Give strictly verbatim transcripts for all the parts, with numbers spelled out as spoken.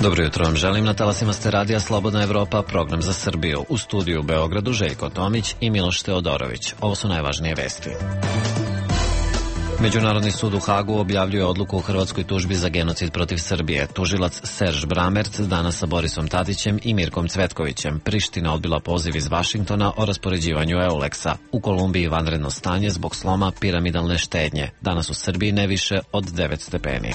Dobro jutro vam želim, na talasima ste radija Slobodna Evropa, program za Srbiju. U studiju u Beogradu Željko Tomić i Miloš Teodorović. Ovo su najvažnije vesti. Međunarodni sud u Hagu objavljuje odluku o hrvatskoj tužbi za genocid protiv Srbije. Tužilac Serž Bramerc danas sa Borisom Tadićem i Mirkom Cvetkovićem. Priština odbila poziv iz Vašingtona o raspoređivanju Euleksa. U Kolumbiji vanredno stanje zbog sloma piramidalne štednje. Danas u Srbiji ne više od devet stepeni.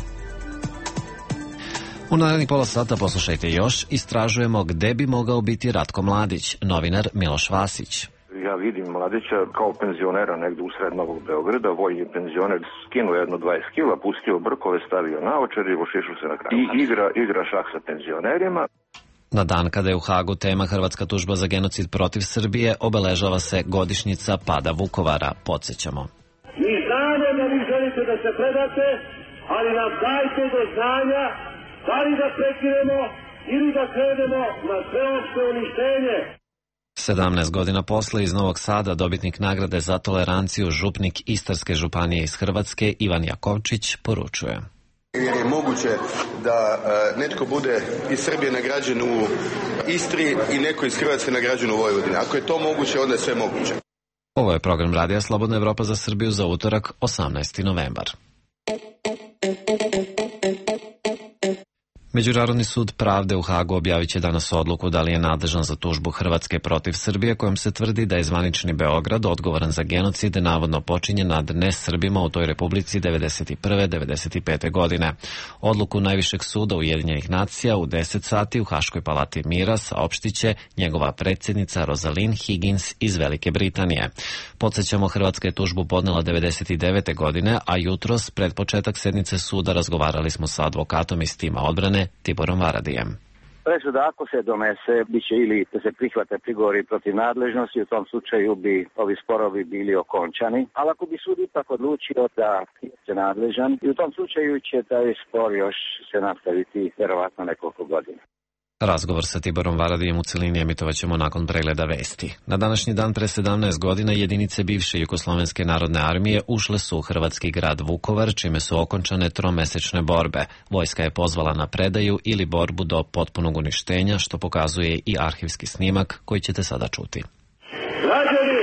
U narednih pola sata poslušajte još, istražujemo gde bi mogao biti Ratko Mladić, novinar Miloš Vasić. Ja vidim Mladića kao penzionera negde usred Novog Beograda, vojni penzioner, skinuo jedno dvadeset kila, pustio brkove, stavio naočare i ošišao se na kraju. I igra, igra šah sa penzionerima. Na dan kada je u Hagu tema Hrvatska tužba za genocid protiv Srbije, obeležava se godišnjica pada Vukovara. Podsjećamo. Mi znamo da vi želite da se predate, ali nam dajte do znanja da li da prekinemo ili da krenemo na sveopšte uništenje. sedamnaest godina posle iz Novog Sada dobitnik nagrade za toleranciju župnik Istarske županije iz Hrvatske Ivan Jakovčić poručuje. Jer je moguće da uh, netko bude iz Srbije nagrađen u Istri i neko iz Hrvatske nagrađen u Vojvodini. Ako je to moguće, onda je sve moguće. Ovo je program radija Slobodna Evropa za Srbiju za utorak, osamnaesti novembar. Međunarodni sud pravde u Hagu objavit će danas odluku da li je nadležan za tužbu Hrvatske protiv Srbije, kojom se tvrdi da je zvanični Beograd odgovoran za genocid navodno počinjen nad nesrbima u toj republici devedeset prve devedeset pete godine. Odluku najvišeg suda Ujedinjenih nacija u deset sati u Haškoj palati mira saopštiće njegova predsjednica Rosalind Higgins iz Velike Britanije. Podsjećamo, Hrvatska je tužbu podnela devedeset devete godine, a jutros pred početak sednice suda razgovarali smo sa advokatom iz tima odbrane Tiborom Varadijem. Presuda ako se donese, bit će ili da se prihvate prigovori protiv nadležnosti, u tom slučaju bi ovi sporovi bili okončani, ali ako bi sud ipak odlučio da je nadležan, i u tom slučaju će taj spor još se nastaviti vjerovatno nekoliko godina. Razgovor sa Tiborom Varadijem u celini emitovat ćemo nakon pregleda vesti. Na današnji dan pre sedamnaest godina jedinice bivše Jugoslovenske narodne armije ušle su u hrvatski grad Vukovar, čime su okončane tromesečne borbe. Vojska je pozvala na predaju ili borbu do potpunog uništenja, što pokazuje i arhivski snimak koji ćete sada čuti. Građani,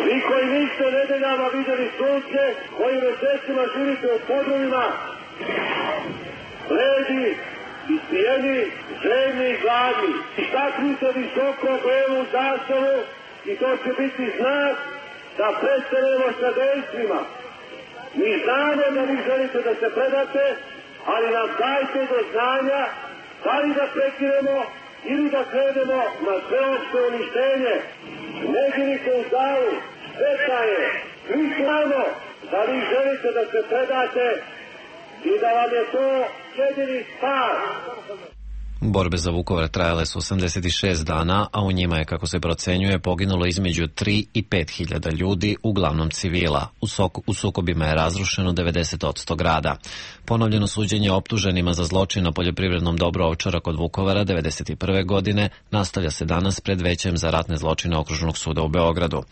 vi koji niste nedeljama vidjeli sunce, koji mesecima živite u podrumima, bledi, ispijeni, željni i gladni. Istaknite visoko belu zastavu i to će biti znak da prestanemo sa dejstvima. Mi znamo da vi želite da se predate, ali nam dajte do znanja da li da prekinemo ili da krenemo na sveopšte uništenje. Ne živite u dalu, šteta je. Mi znamo da vi želite da se predate i da vam je to jedini spas. Borbe za Vukovar trajale su osamdeset šest dana, a u njima je, kako se procenjuje, poginulo između tri i pet hiljada ljudi, uglavnom civila. U, sok, u sukobima je razrušeno devedeset posto grada. Ponovljeno suđenje optuženima za zločin na poljoprivrednom dobru Ovčara kod Vukovara devedeset prve godine nastavlja se danas pred Većem za ratne zločine Okružnog suda u Beogradu.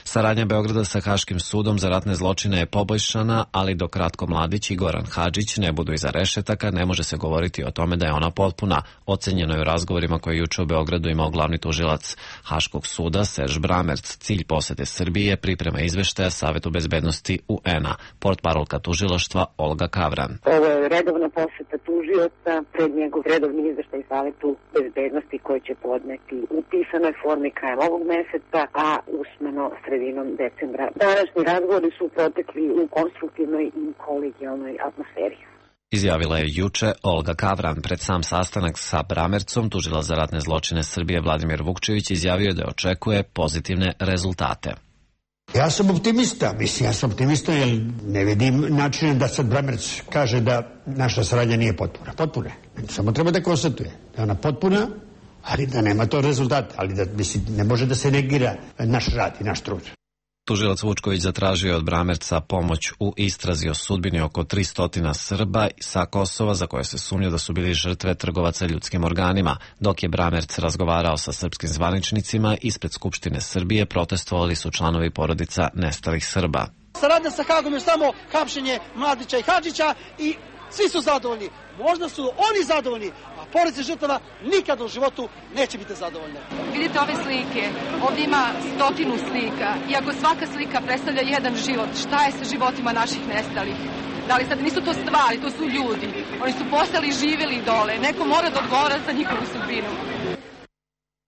Saradnja Beograda sa Haškim sudom za ratne zločine je poboljšana, ali dok Ratko Mladić i Goran Hadžić ne budu iza rešetaka, ne može se govoriti o tome da je ona potpuna. Ocenjeno je u razgovorima koje je juče u Beogradu imao glavni tužilac Haškog suda Serž Bramerc. Cilj posete Srbije priprema izveštaja Savetu bezbednosti U N-a. Portparolka tužilaštva Olga Kavran. Ovo je redovna poseta tužioca pred njegov redovni izveštaj Savetu bezbednosti koji će podneti u pisanoj formi krajem ovog meseca, a usmeno sredinom decembra. Današnji razgovori su protekli u konstruktivnoj i kolegijalnoj atmosferi. Izjavila je juče Olga Kavran. Pred sam sastanak sa Bramercom, tužilac za ratne zločine Srbije Vladimir Vukčević izjavio da očekuje pozitivne rezultate. Ja sam optimista, mislim, ja sam optimista jer ne vidim načine da sad Bramerc kaže da naša saradnja nije potpuna. Potpuna je. Samo treba da konstatuje da je ona potpuna, ali da nema to rezultata, ali da, mislim, ne može da se negira naš rad i naš trud. Tužilac Vučković zatražio je od Bramerca pomoć u istrazi o sudbini oko tristo Srba sa Kosova za koje se sumnja da su bili žrtve trgovaca ljudskim organima. Dok je Bramerc razgovarao sa srpskim zvaničnicima, ispred Skupštine Srbije protestovali su članovi porodica nestalih Srba. Saradnja sa Hagom je samo hapšenje Mladića i Hadžića i svi su zadovoljni. možda su oni zadovoljni, a porodice žrtava nikad u životu neće biti zadovoljne. Vidite ove slike, ovdje ima stotinu slika i ako svaka slika predstavlja jedan život, šta je sa životima naših nestalih? Da li sad nisu to stvari, to su ljudi. Oni su postali živjeli dole, neko mora da odgovara za njihovu sudbinu.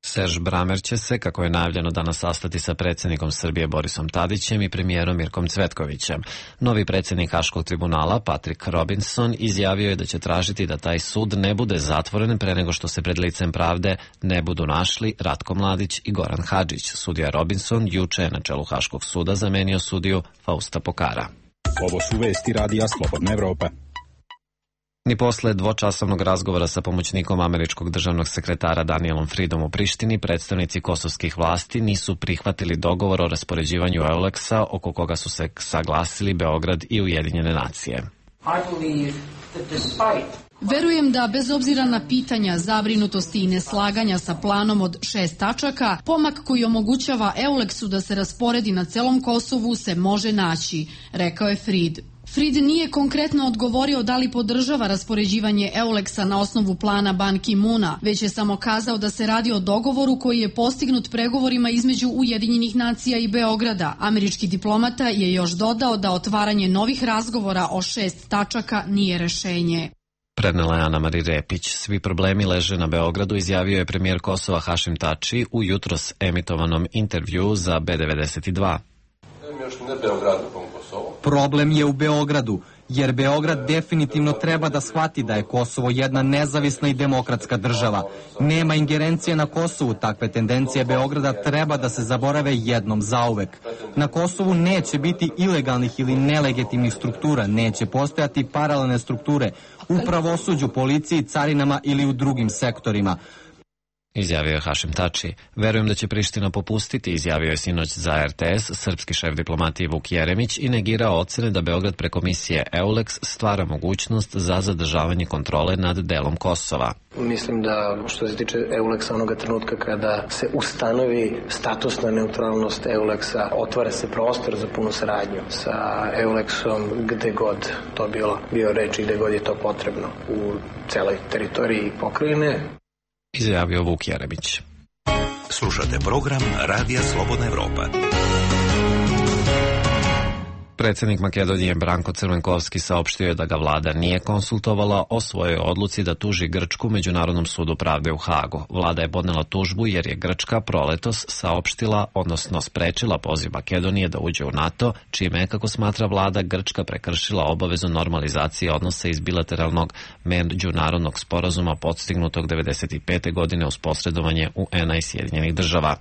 Serž Bramer će se, kako je najavljeno, danas sastati sa predsjednikom Srbije Borisom Tadićem i premijerom Mirkom Cvetkovićem. Novi predsjednik Haškog tribunala, Patrick Robinson, izjavio je da će tražiti da taj sud ne bude zatvoren pre nego što se pred licem pravde ne budu našli Ratko Mladić i Goran Hadžić. Sudija Robinson juče je na čelu Haškog suda zamenio sudiju Fausta Pokara. Ovo su vesti Radija Slobodna Evropa. Ni posle dvočasovnog razgovora sa pomoćnikom američkog državnog sekretara Danielom Freedom u Prištini, predstavnici kosovskih vlasti nisu prihvatili dogovor o raspoređivanju Euleksa, oko koga su se saglasili Beograd i Ujedinjene nacije. Verujem da bez obzira na pitanja, zabrinutosti i neslaganja sa planom od šest tačaka, pomak koji omogućava Euleksu da se rasporedi na celom Kosovu se može naći, rekao je Fried. Fried nije konkretno odgovorio da li podržava raspoređivanje Euleksa na osnovu plana Ban Ki-moona, već je samo kazao da se radi o dogovoru koji je postignut pregovorima između Ujedinjenih nacija i Beograda. Američki diplomata je još dodao da otvaranje novih razgovora o šest tačaka nije rešenje. Prenela je Ana Mari Repić. Svi problemi leže na Beogradu, izjavio je premijer Kosova Hašim Tači u jutros emitovanom intervjuu za B devedeset dva. Problem je u Beogradu, jer Beograd definitivno treba da shvati da je Kosovo jedna nezavisna i demokratska država. Nema ingerencije na Kosovu, takve tendencije Beograda treba da se zaborave jednom zauvek. Na Kosovu neće biti ilegalnih ili nelegitimnih struktura, neće postojati paralelne strukture u pravosuđu, policiji, carinama ili u drugim sektorima. Izjavio je Hašim Tači. Verujem da će Priština popustiti, izjavio je sinoć za R T S srpski šef diplomatije Vuk Jeremić i negirao ocene da Beograd preko misije Euleks stvara mogućnost za zadržavanje kontrole nad delom Kosova. Mislim da što se tiče Euleksa onoga trenutka kada se ustanovi statusna neutralnost Euleksa, otvara se prostor za punu saradnju sa Euleksom gde god to bilo, bio reč i gde god je to potrebno u celoj teritoriji pokrajine. Izjavio Vuk Jeremić. Slušate program Radija Slobodna Evropa. Predsjednik Makedonije Branko Crvenkovski saopštio je da ga vlada nije konsultovala o svojoj odluci da tuži Grčku Međunarodnom sudu pravde u Hagu. Vlada je podnela tužbu jer je Grčka proletos saopštila, odnosno sprečila poziv Makedonije da uđe u NATO, čime je, kako smatra vlada, Grčka prekršila obavezu normalizacije odnosa iz bilateralnog međunarodnog sporazuma postignutog devedeset pete godine uz posredovanje U N-a i Sjedinjenih država.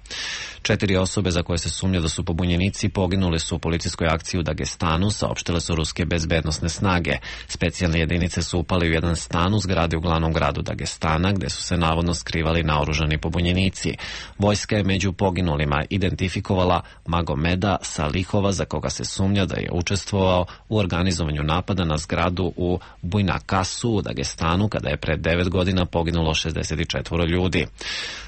Četiri osobe za koje se sumnja da su pobunjenici poginule su u policijskoj akciji u Dagestanu, saopštile su ruske bezbednosne snage. Specijalne jedinice su upali u jedan stan u zgradi u glavnom gradu Dagestana, gde su se navodno skrivali naoružani pobunjenici. Vojska je među poginulima identifikovala Magomeda Salihova, za koga se sumnja da je učestvovao u organizovanju napada na zgradu u Bujnakasu u Dagestanu, kada je pred devet godina poginulo šezdeset četiri ljudi.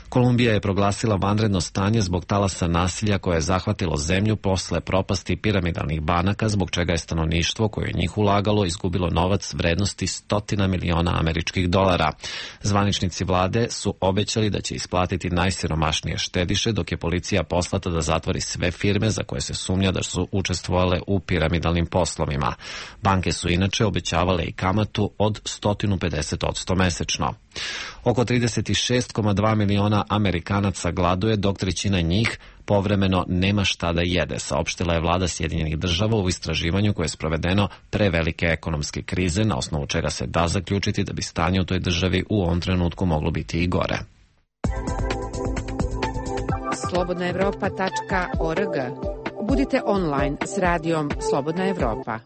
Kolumbija je proglasila vanredno stanje zbog talasa nasilja koje je zahvatilo zemlju posle propasti piramidalnih banaka, zbog čega je stanovništvo koje je njih ulagalo izgubilo novac vrednosti stotina miliona američkih dolara. Zvaničnici vlade su obećali da će isplatiti najsiromašnije štediše, dok je policija poslata da zatvori sve firme za koje se sumnja da su učestvovale u piramidalnim poslovima. Banke su inače obećavale i kamatu od sto pedeset posto mesečno. Oko trideset šest zarez dva miliona Amerikanaca gladuje, dok trećina njih povremeno nema šta da jede, saopštila je vlada Sjedinjenih država u istraživanju koje je sprovedeno pre velike ekonomske krize, na osnovu čega se da zaključiti da bi stanje u toj državi u ovom trenutku moglo biti i gore. slobodna evropa tačka org. Budite online s radijom Slobodna Evropa.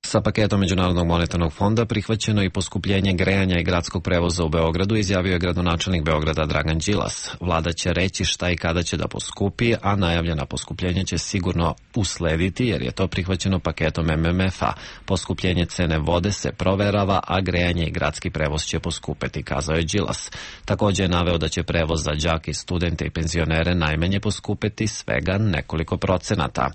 Sa paketom Međunarodnog monetarnog fonda prihvaćeno i poskupljenje grejanja i gradskog prevoza u Beogradu, izjavio je gradonačelnik Beograda Dragan Đilas. Vlada će reći šta i kada će da poskupi, a najavljena poskupljenja će sigurno uslediti jer je to prihvaćeno paketom M M F-a. Poskupljenje cene vode se proverava, a grejanje i gradski prevoz će poskupeti, kazao je Đilas. Također je naveo da će prevoz za đake, studente i penzionere najmanje poskupeti svega nekoliko procenata.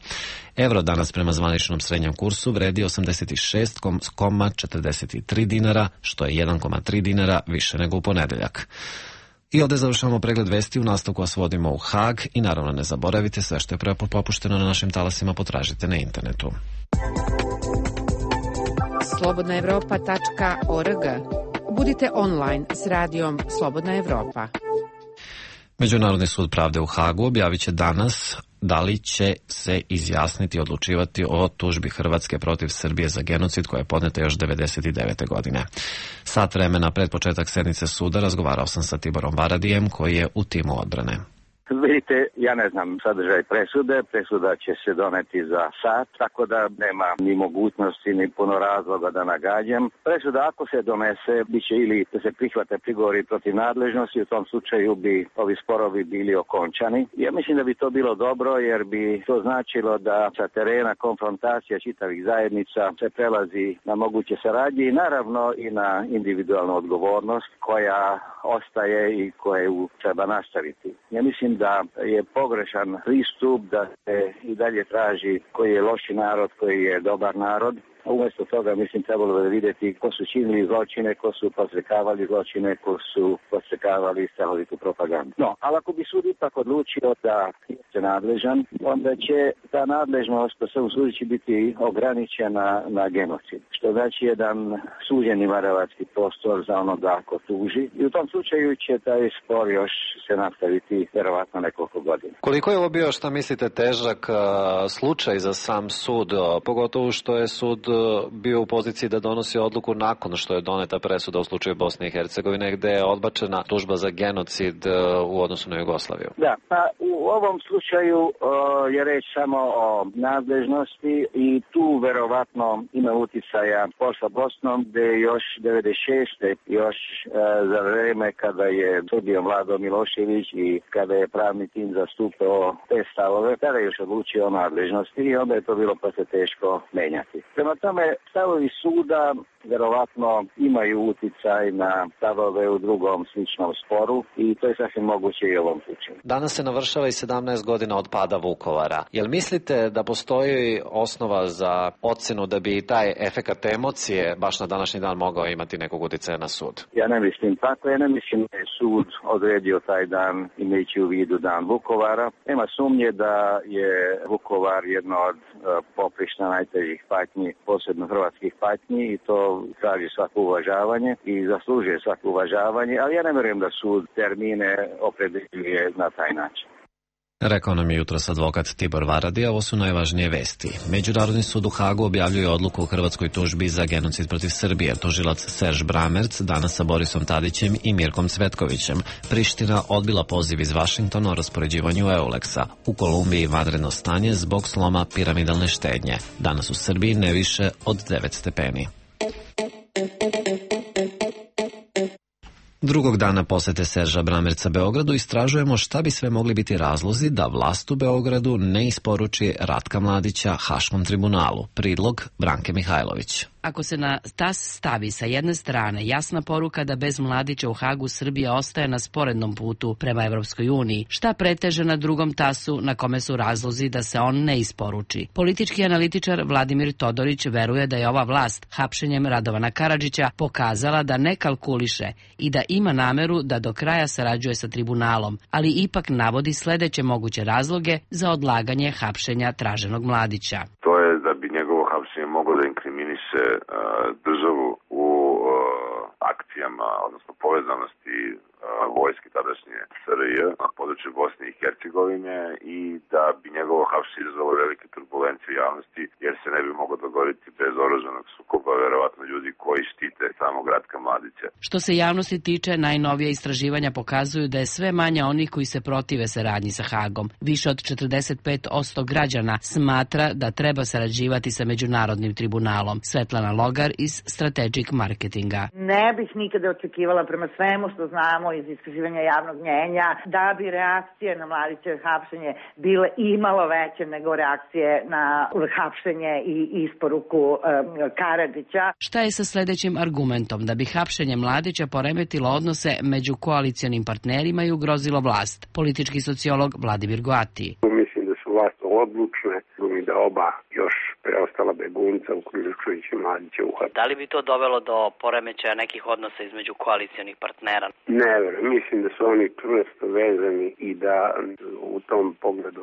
Evro danas prema zvaničnom srednjem kursu vredi osamdeset sedamdeset šest zarez četrdeset tri dinara, što je jedan zarez tri dinara više nego u ponedeljak. I ovdje završavamo pregled vesti, u nastavku vas vodimo u Hag i naravno ne zaboravite, sve što je prepopušteno na našim talasima potražite na internetu. slobodna evropa tačka org. Budite online s radijom Slobodna Evropa. Međunarodni sud pravde u Hagu objavit će danas da li će se izjasniti i odlučivati o tužbi Hrvatske protiv Srbije za genocid koja je podneta još devedeset devete. godine. Sat vremena pred početak sednice suda razgovarao sam sa Tiborom Varadijem koji je u timu odbrane. Vidite, ja ne znam sadržaj presude, presuda će se doneti za sat, tako da nema ni mogućnosti ni puno razloga da nagađam. Presuda ako se donese, bit će ili da se prihvate prigovori protiv nadležnosti, u tom slučaju bi ovi sporovi bili okončani. Ja mislim da bi to bilo dobro jer bi to značilo da sa terena konfrontacija čitavih zajednica se prelazi na moguće saradnje i naravno i na individualnu odgovornost koja ostaje i koju treba nastaviti. Ja mislim da je pogrešan pristup da se i dalje traži koji je loši narod, koji je dobar narod. Umjesto toga, mislim, trebalo je vidjeti ko su činili zločine, ko su podstrekavali zločine, ko su podstrekavali strahovitu propagandu. No, ali ako bi sud ipak odlučio da je nadležan, onda će ta nadležnost po svom sudu će biti ograničena na genocid. Što znači jedan suđeni marevatski prostor za onoga ko tuži. I u tom slučaju će taj spor još se nastaviti vjerovatno nekoliko godina. Koliko je ovo bio, šta mislite, težak uh, slučaj za sam sud, pogotovo što je sud bio u poziciji da donosi odluku nakon što je doneta presuda u slučaju Bosne i Hercegovine, gde je odbačena tužba za genocid u odnosu na Jugoslaviju? Da, pa u ovom slučaju uh, je reč samo o nadležnosti i tu verovatno ima uticaja posla Bosnom, gde još devedeset šeste još uh, za vreme kada je sudio Vlado Milošević i kada je pravni tim zastupao te stavove, tada je još odlučio o nadležnosti i onda je to bilo posle teško menjati. Prema tome, stavovi suda verovatno imaju uticaj na stavove u drugom sličnom sporu i to je sasvim moguće i u ovom slučaju. Danas se navršava i sedamnaest godina od pada Vukovara. Jel mislite da postoji osnova za ocenu da bi taj efekat emocije baš na današnji dan mogao imati nekog uticaja na sud? Ja ne mislim tako, ja ne mislim da je sud odredio taj dan imajući u vidu dan Vukovara. Nema sumnje da je Vukovar jedno od poprišta najtežih patnji, posebno hrvatskih patnji i to traži svako uvažavanje i zaslužuje svako uvažavanje, ali ja ne vjerujem da sud termine opredeljuje na taj način. Rekao nam je jutros advokat Tibor Varadija, ovo su najvažnije vesti. Međunarodni sud u Hagu objavljuje odluku o hrvatskoj tužbi za genocid protiv Srbije. Tužilac Serž Bramerc danas sa Borisom Tadićem i Mirkom Cvetkovićem. Priština odbila poziv iz Vašingtona o raspoređivanju Euleksa. U Kolumbiji vanredno stanje zbog sloma piramidalne štednje. Danas u Srbiji ne više od devet stepeni. Drugog dana posete Serža Bramerca Beogradu istražujemo šta bi sve mogli biti razlozi da vlast u Beogradu ne isporuči Ratka Mladića Haškom tribunalu. Prilog Branke Mihajlović. Ako se na tas stavi sa jedne strane jasna poruka da bez Mladića u Hagu Srbija ostaje na sporednom putu prema Evropskoj uniji, šta preteže na drugom tasu na kome su razlozi da se on ne isporuči? Politički analitičar Vladimir Todorić veruje da je ova vlast hapšenjem Radovana Karadžića pokazala da ne kalkuliše i da ima nameru da do kraja sarađuje sa tribunalom, ali ipak navodi sledeće moguće razloge za odlaganje hapšenja traženog Mladića. To je da bi njegovo hapšenje moglo da inkriminiše uh, državu u uh, akcijama, odnosno povezanosti uh, vojske tadašnje S R J na području Bosne i Hercegovine i da bi njegovo hapšenje izazvalo velike turbulencije u javnosti, jer se ne bi moglo dogoditi bez oružanog sukoba, verovatno ljudi koji štite samog Ratka Mladića. Što se javnosti tiče, najnovija istraživanja pokazuju da je sve manje onih koji se protive saradnji sa Hagom. Više od četrdeset pet posto građana smatra da treba sarađivati sa Međunarodnim tribunalom. Svetlana Logar iz Strategic Marketinga. Ne bih nikada očekivala prema svemu što znamo iz istraživanja javnog mnjenja da bi reakcije na Mladićevo hapšenje bile imalo veće nego reakcije na hapšenje i isporuku um, Karadžića. Šta je sa sledećim argumentom da bi hapšenje Mladića poremetilo odnose među koalicionim partnerima i ugrozilo vlast? Politički sociolog Vladimir Goati. Mislim da su vas odlučne i da oba još preostala begunca, uključujući Mladića, uhapse. Da li bi to dovelo do poremećaja nekih odnosa između koalicionih partnera? Ne verujem, mislim da su oni čvrsto vezani i da u tom pogledu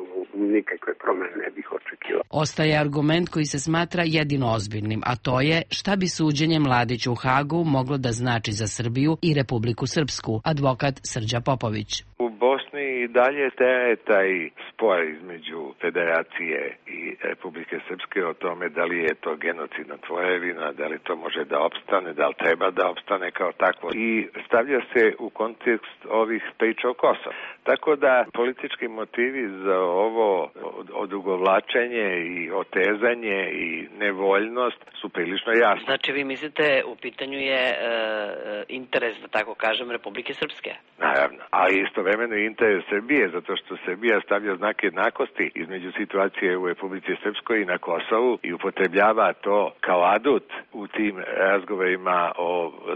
nikakve promene ne bih očekivao. Ostaje argument koji se smatra jedino ozbiljnim, a to je šta bi suđenje Mladiću u Hagu moglo da znači za Srbiju i Republiku Srpsku, advokat Srđa Popović. U Bosni i dalje traje taj spor između Federacije i Republike Srpske o tome da li je to genocidna tvorevina, da li to može da opstane, da li treba da opstane kao takvo. I stavlja se u kontekst ovih priča o Kosovu. Tako da politički motivi za ovo odugovlačenje i otezanje i nevoljnost su prilično jasni. Znači vi mislite u pitanju je e, interes, da tako kažem, Republike Srpske? Naravno, a istovremeno i interes Srbije, zato što Srbija stavlja znak jednakosti između situacije u Republici Srpskoj i na Kosovu i upotrebljava to kao adut u tim razgovorima o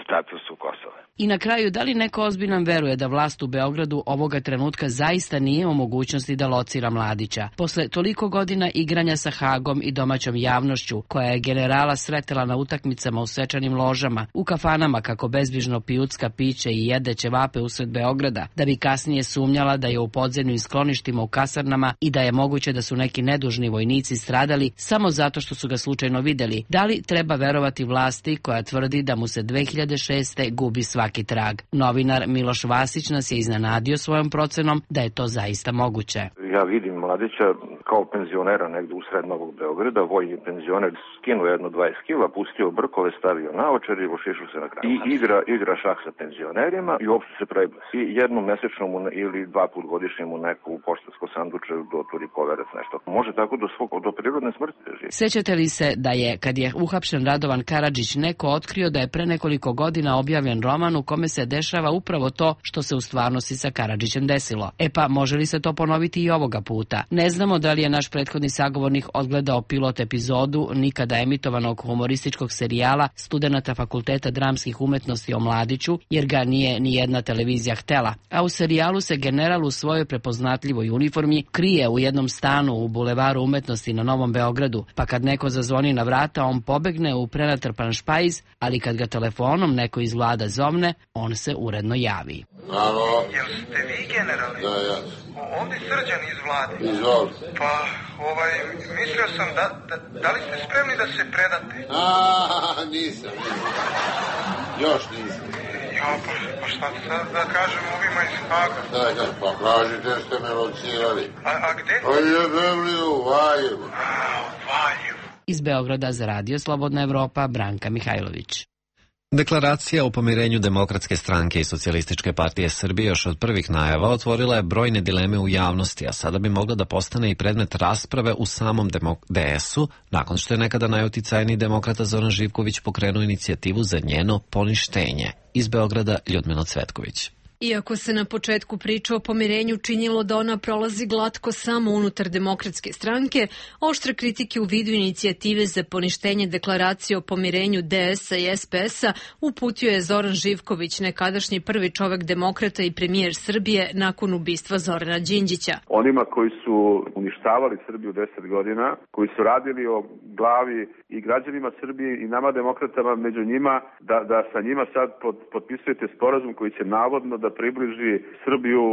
statusu Kosova. I na kraju, da li neko ozbiljan veruje da vlast u Beogradu ovoga trenutka zaista nije u mogućnosti da locira Mladića? Posle toliko godina igranja sa Hagom i domaćom javnošću, koja je generala sretela na utakmicama u svečanim ložama, u kafanama kako bezbrižno pijucka piće i jede ćevape usred Beograda, da bi kasnije sumnjala da je u podzemnim skloništima u kasarnama i da je moguće da su neki nedužni vojnici stradali samo zato što su ga slučajno videli. Da li treba verovati vlasti koja tvrdi da mu se dve hiljade šeste. gubi svaki trag? Novinar Miloš Vasić nas je iznenadio svojom procenom da je to zaista moguće. Ja vidim Mladića kao penzionera negde u sred Novog Beograda, vojni penzioner, skinuo jedno dvadeset kila, pustio brkove, stavio naočar i ošišao se na kraju. I igra, igra šah sa penzionerima i uopšte se preglasi. I jednom mesečno mu ili dva put godišnje mu neku poštansko sanduče doturi poverac nešto. Može tako do svog, do prirodne smrti da živi. Sećate li se da je, kad je uhapšen Radovan Karadžić, neko otkrio da je pre nekoliko godina objavljen roman u kome se dešava upravo to što se u stvarnosti sa Karadžićem desilo? E pa, može li se to ponoviti i ovoga puta? Ne znamo da li je naš prethodni sagovornik odgledao pilot epizodu nikada emitovanog humorističkog serijala studenata Fakulteta dramskih umetnosti o Mladiću, jer ga nije ni jedna televizija htela. A u serijalu se general u svojoj prepoznatljivoj uniformi krije u jednom stanu u Bulevaru umetnosti na Novom Beogradu, pa kad neko zazvoni na vrata, on pobegne u prenatrpan špajz, ali kad ga telefonom neko iz vlada zovne, on se uredno javi. Alo? Jel ste vi generalni? Da, ja. Ovdje Srđan iz vlade. Izvoli. Pa, ovaj, mislio sam da, da, da li ste spremni da se predate? A, nisam, nisam. Još nisam. Ja, pa, pa šta sad da kažem ovima iz Haga? Da, da, pa kažite ste me locirali. A, a gde? Pa jebem li u Valjevu. A, u Valjevu. Iz Beograda za Radio Slobodna Evropa, Branka Mihajlović. Deklaracija o pomirenju Demokratske stranke i Socijalističke partije Srbije još od prvih najava otvorila je brojne dileme u javnosti, a sada bi mogla da postane i predmet rasprave u samom D S-u, nakon što je nekada najuticajniji demokrata Zoran Živković pokrenuo inicijativu za njeno poništenje. Iz Beograda Ljudmila Cvetković. Iako se na početku priča o pomirenju činilo da ona prolazi glatko samo unutar Demokratske stranke, oštre kritike u vidu inicijative za poništenje deklaracije o pomirenju D S-a i S P S-a uputio je Zoran Živković, nekadašnji prvi čovek demokrata i premijer Srbije nakon ubistva Zorana Đinđića. Onima koji su uništavali Srbiju deset godina, koji su radili o glavi i građanima Srbije i nama demokratama među njima, da, da sa njima sad pod, potpisujete sporazum koji će navodno da približi Srbiju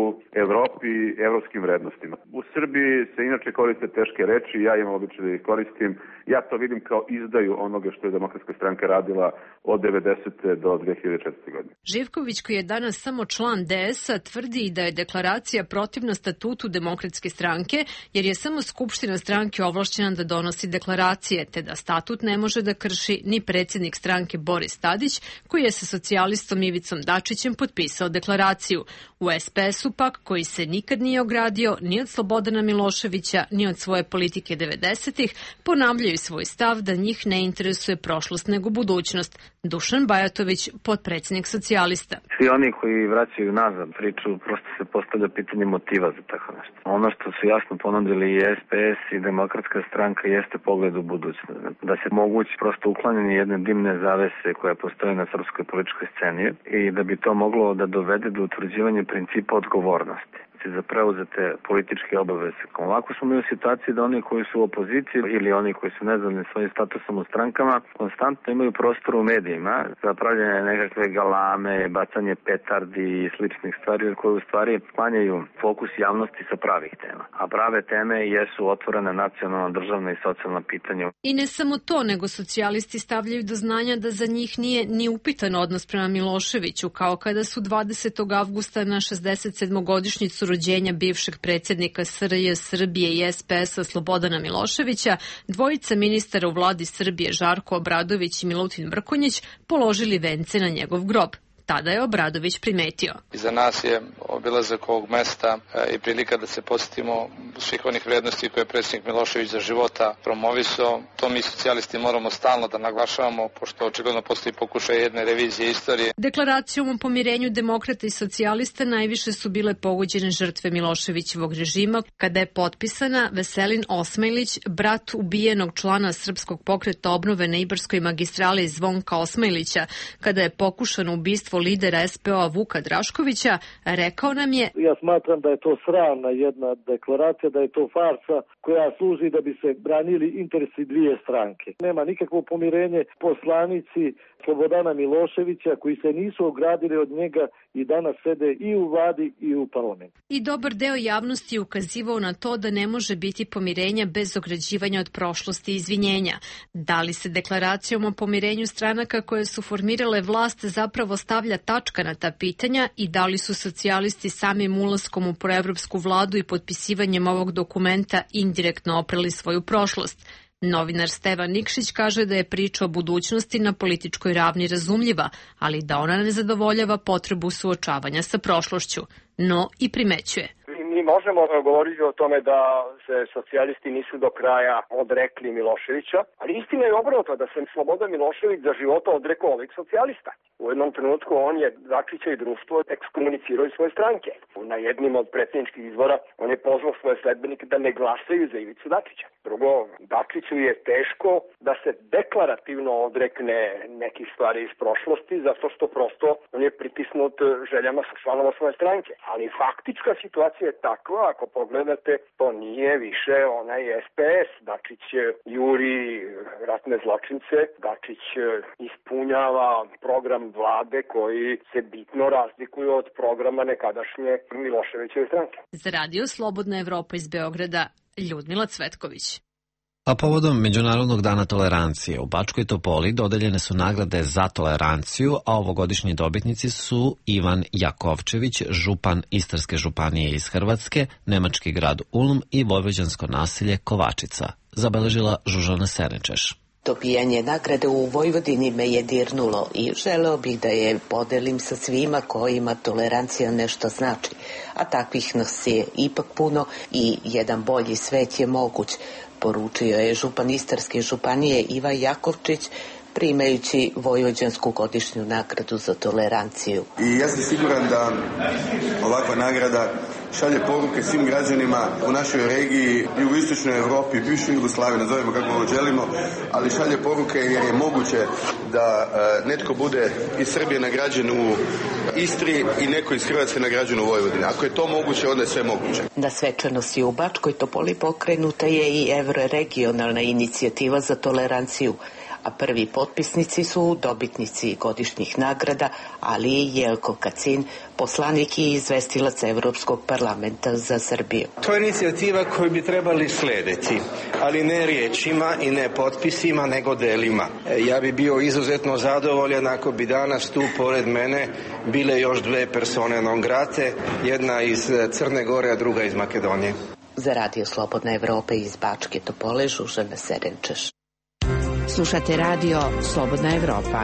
Evropi i evropskim vrednostima. U Srbiji se inače koriste teške reči, ja imam običaj da ih koristim. Ja to vidim kao izdaju onoga što je Demokratska stranka radila od devedesete do dve hiljade četvrte. godine. Živković, koji je danas samo član D S-a, tvrdi da je deklaracija protivna statutu Demokratske stranke, jer je samo Skupština stranke ovlašćena da donosi deklaracije, te da statut ne može da krši ni predsjednik stranke Boris Tadić, koji je sa socijalistom Ivicom Dačićem potpisao deklaraciju. U S P S-u pak, koji se nikad nije ogradio ni od Slobodana Miloševića, ni od svoje politike devedesetih, ponavljaju svoj stav da njih ne interesuje prošlost nego budućnost. Dušan Bajatović, potpredsjednik socijalista. Svi oni koji vraćaju nazad priču, prosto se postavlja pitanje motiva za tako nešto. Ono što su jasno ponudili i S P S i Demokratska stranka jeste pogled u budućnost. Da se mogući prosto uklanjanje jedne dimne zavese koja postoje na srpskoj političkoj sceni i da bi to moglo da dovede do utvrđivanja principa odgovornosti. odgovornosti za preuzete političke obaveze. Ovako smo mi u situaciji da oni koji su u opoziciji ili oni koji su nezadovoljni svojim statusom u strankama konstantno imaju prostor u medijima za pravljanje nekakve galame, bacanje petardi i sličnih stvari koje u stvari sklanjaju fokus javnosti sa pravih tema. A prave teme jesu otvorene nacionalna, državna i socijalna pitanja. I ne samo to, nego socijalisti stavljaju do znanja da za njih nije ni upitan odnos prema Miloševiću, kao kada su dvadesetog avgusta na šezdeset sedmogodišnjicu rođenja bivšeg predsjednika S R J Srbije i S P S-a Slobodana Miloševića, dvojica ministara u vladi Srbije Žarko Obradović i Milutin Mrkonjić položili vence na njegov grob. Tada je Obradović primetio. Za nas je obilazak ovog mesta i prilika da se podsjetimo svih onih vrednosti koje je predsjednik Milošević za života promovisao. To mi socijalisti moramo stalno da naglašavamo, pošto očigledno postoji pokušaj jedne revizije istorije. Deklaracijom o pomirenju demokrata i socijalista najviše su bile pogođene žrtve Miloševićevog režima, kada je potpisana Veselin Osmajlić, brat ubijenog člana Srpskog pokreta obnove na Ibarskoj magistrali Zvonka Osmajlića, kada je pokušano ubistvo lidera S P O-a Vuka Draškovića, rekao nam je: Ja smatram da je to sramna jedna deklaracija, da je to farsa koja služi da bi se branili interesi dvije stranke. Nema nikakvo pomirenje. Poslanici Slobodana Miloševića koji se nisu ogradili od njega i danas sede i u vladi i u parlamentu. I dobar deo javnosti je ukazivao na to da ne može biti pomirenja bez ograđivanja od prošlosti i izvinjenja. Da li se deklaracijom o pomirenju stranaka koje su formirale vlast zapravo stavlja tačka na ta pitanja i da li su socijalisti samim ulaskom u proevropsku vladu i potpisivanjem ovog dokumenta indirektno oprali svoju prošlost? Novinar Stevan Nikšić kaže da je priča o budućnosti na političkoj ravni razumljiva, ali da ona ne zadovoljava potrebu suočavanja sa prošlošću. No i primećuje. Mi možemo govoriti o tome da se socijalisti nisu do kraja odrekli Miloševića, ali istina je obrnuto da se Slobodan Milošević za života odrekao ovih socijalista. U jednom trenutku on je Dačića i društvo ekskomunicirao iz svoje stranke. Na jednim od predsjedničkih izbora on je pozvao svoje sledbenike da ne glasaju za Ivicu Dačića. Drugo, Dačiću je teško da se deklarativno odrekne nekih stvari iz prošlosti, zato što prosto on je pritisnut željama članova svoje stranke. Ali faktička situacija je takva, ako pogledate, to nije više onaj S P S. Dačić juri ratne zločince, Dačić ispunjava program vlade koji se bitno razlikuju od programa nekadašnje Miloševićeve stranke. Za Radio Slobodna Evropa iz Beograda, Ljudmila Cvetković. A povodom Međunarodnog dana tolerancije u Bačkoj Topoli dodeljene su nagrade za toleranciju, a ovogodišnji dobitnici su Ivan Jakovčević, župan Istarske županije iz Hrvatske, nemački grad Ulm i vojvođansko naselje Kovačica, zabeležila Žužana Serenčeš. Dobijanje nagrade u Vojvodini me je dirnulo i želeo bih da je podelim sa svima kojima tolerancija nešto znači, a takvih nas je ipak puno i jedan bolji svet je moguć, poručio je župan Istarske županije Ivan Jakovčić, primajući vojvođansku godišnju nagradu za toleranciju. I ja sam siguran da ovakva nagrada šalje poruke svim građanima u našoj regiji, jugoistočnoj Evropi, bivšoj Jugoslaviji, nazovemo kako ovo želimo, ali šalje poruke jer je moguće da uh, netko bude iz Srbije nagrađen u Istri i neko iz Hrvatske nagrađen u Vojvodini. Ako je to moguće, onda je sve moguće. Na svečanosti u Bačkoj Topoli pokrenuta je i evroregionalna inicijativa za toleranciju, a prvi potpisnici su dobitnici godišnjih nagrada, ali i Jelko Kacin, poslanik i izvestilac Evropskog parlamenta za Srbiju. To je inicijativa koju bi trebali slediti, ali ne riječima i ne potpisima, nego delima. Ja bi bio izuzetno zadovoljan ako bi danas tu pored mene bile još dve persone non grate, jedna iz Crne Gore, a druga iz Makedonije. Za Radio Slobodna Evropa iz Bačke Topole, Žužana Serenčeš. Slušate Radio Slobodna Evropa.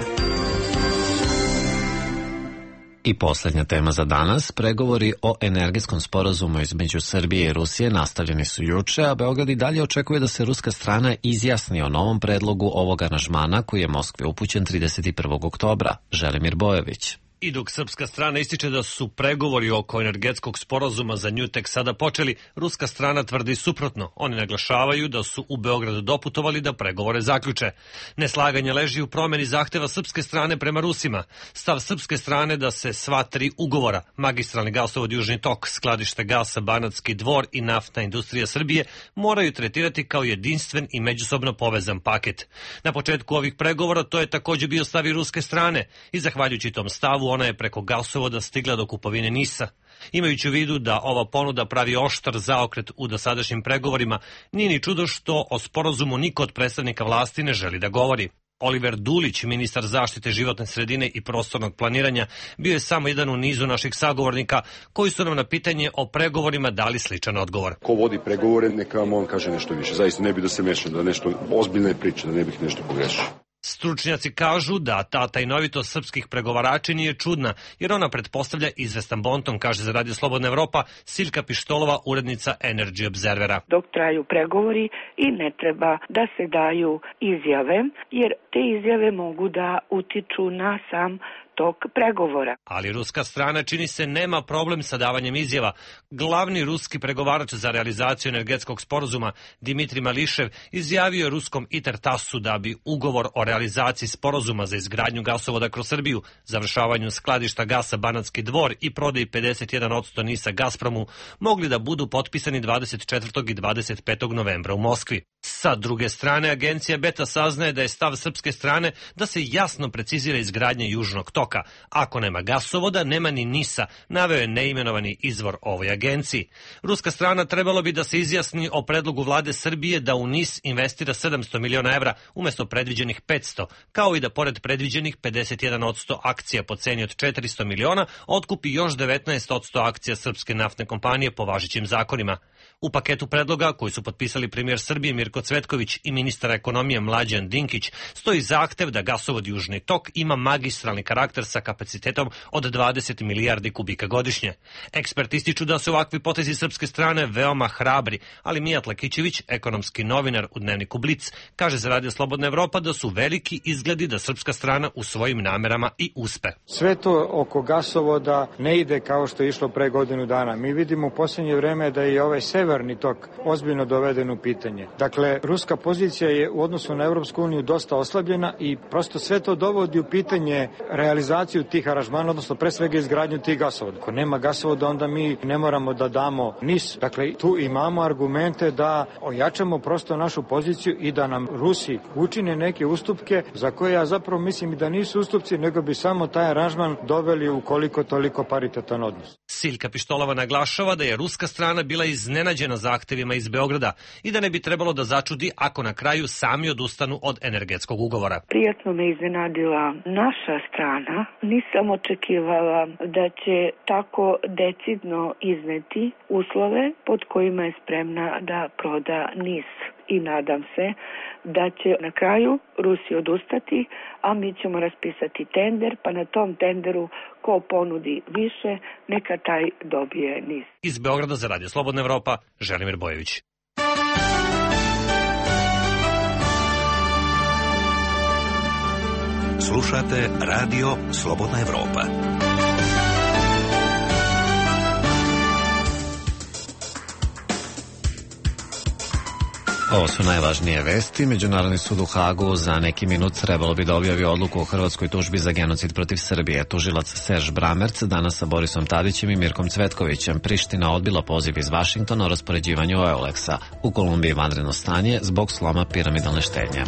I posljednja tema za danas, pregovori o energetskom sporazumu između Srbije i Rusije nastavljeni su juče, a Beograd i dalje očekuje da se ruska strana izjasni o novom predlogu ovog aranžmana koji je Moskvi upućen trideset prvog oktobra. Želimir Bojović. I dok srpska strana ističe da su pregovori oko energetskog sporazuma za nju tek sada počeli, ruska strana tvrdi suprotno. Oni naglašavaju da su u Beogradu doputovali da pregovore zaključe. Neslaganje leži u promeni zahteva srpske strane prema Rusima. Stav srpske strane da se sva tri ugovora, magistralni gasovod Južni tok, skladište gasa Banatski Dvor i naftna industrija Srbije, moraju tretirati kao jedinstven i međusobno povezan paket. Na početku ovih pregovora to je također bio stav i ruske strane i zahvaljujući tom stavu ona je preko gasovoda stigla do kupovine Nisa. Imajući u vidu da ova ponuda pravi oštar zaokret u dosadašnjim pregovorima, nije ni čudo što o sporazumu niko od predstavnika vlasti ne želi da govori. Oliver Dulić, ministar zaštite životne sredine i prostornog planiranja, bio je samo jedan u nizu naših sagovornika koji su nam na pitanje o pregovorima dali sličan odgovor. Ko vodi pregovore, neka vam on kaže nešto više. Zaista ne bi da se mešam, da nešto ozbiljne priče, da ne bih nešto pogrešio. Stručnjaci kažu da ta tajnovitost srpskih pregovarača nije čudna, jer ona pretpostavlja izvestan bonton, kaže za Radio Slobodna Evropa Siljka Pištolova, urednica Energy Observera. Dok traju pregovori i ne treba da se daju izjave, jer te izjave mogu da utiču na sam tok pregovora. Ali ruska strana, čini se, nema problem sa davanjem izjava. Glavni ruski pregovarač za realizaciju energetskog sporazuma Dimitrij Mališev izjavio je ruskom Intertasu da bi ugovor o realizaciji sporazuma za izgradnju gasovoda kroz Srbiju, završavanju skladišta gasa Banatski Dvor i prodaji pedeset jedan posto Nisa Gazpromu mogli da budu potpisani dvadeset četvrtog i dvadeset petog novembra u Moskvi. Sa druge strane, agencija Beta saznaje da je stav srpske strane da se jasno precizira izgradnja Južnog toka. Ako nema gasovoda, nema ni Nisa, naveo je neimenovani izvor ovoj agenciji. Ruska strana trebalo bi da se izjasni o predlogu vlade Srbije da u Nis investira sedamsto miliona evra umjesto predviđenih petsto, kao i da pored predviđenih pedeset jedan posto akcija po ceni od četiristo miliona otkupi još devetnaest posto akcija srpske naftne kompanije po važećim zakonima. U paketu predloga koji su potpisali premijer Srbije Mirko Cvetković i ministar ekonomije Mlađan Dinkić stoji zahtev da gasovod Južni tok ima magistralni karakter sa kapacitetom od dvadeset milijardi kubika godišnje. Eksperti ističu da su ovakvi potezi srpske strane veoma hrabri, ali Mijat Lakićević, ekonomski novinar u dnevniku Blic, kaže za Radio Slobodna Evropa da su veliki izgledi da srpska strana u svojim namerama i uspe. Sve to oko gasovoda ne ide kao što je išlo pre godinu dana. Mi vidimo u posljednje vreme da je ovaj severni tok ozbiljno doveden u pitanje. Dakle, ruska pozicija je u odnosu na Evropsku uniju dosta oslabljena i prosto sve to dovodi u pitanje realizaciju tih aranžmana, odnosno pre svega izgradnju tih gasovoda. Ako nema gasovoda, onda mi ne moramo da damo Nis. Dakle, tu imamo argumente da ojačamo prosto našu poziciju i da nam Rusi učine neke ustupke za koje ja zapravo mislim da nisu ustupci, nego bi samo taj aranžman doveli u koliko toliko paritetan odnos. Siljka Pištolova naglašava da je ruska strana bila iznenađena zahtevima iz Beograda i da ne bi trebalo da začudi ako na kraju sami odustanu od energetskog ugovora. Prijatno me iznenadila naša strana. Nisam očekivala da će tako decidno izneti uslove pod kojima je spremna da proda Nis. I nadam se da će na kraju Rusi odustati, a mi ćemo raspisati tender, pa na tom tenderu ko ponudi više, neka taj dobije Nis. Iz Beograda za Radio Slobodna Evropa, Želimir Bojević. Slušate Radio Slobodna Evropa. Ovo su najvažnije vesti. Međunarodni sud u Hagu za neki minut trebalo bi da objavi odluku o hrvatskoj tužbi za genocid protiv Srbije. Tužilac Serž Bramerc danas sa Borisom Tadićem i Mirkom Cvetkovićem. Priština odbila poziv iz Vašingtona o raspoređivanju Euleksa. U Kolumbiji vanredno stanje zbog sloma piramidalne štednje.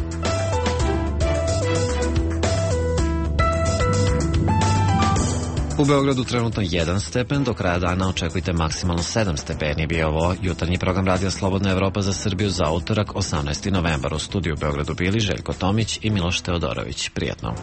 U Beogradu trenutno jedan stepen, do kraja dana očekujte maksimalno sedam stepeni. Bio ovo jutarnji program Radija Slobodna Evropa za Srbiju za utorak osamnaesti novembar. U studiju u Beogradu bili Željko Tomić i Miloš Teodorović. Prijatno.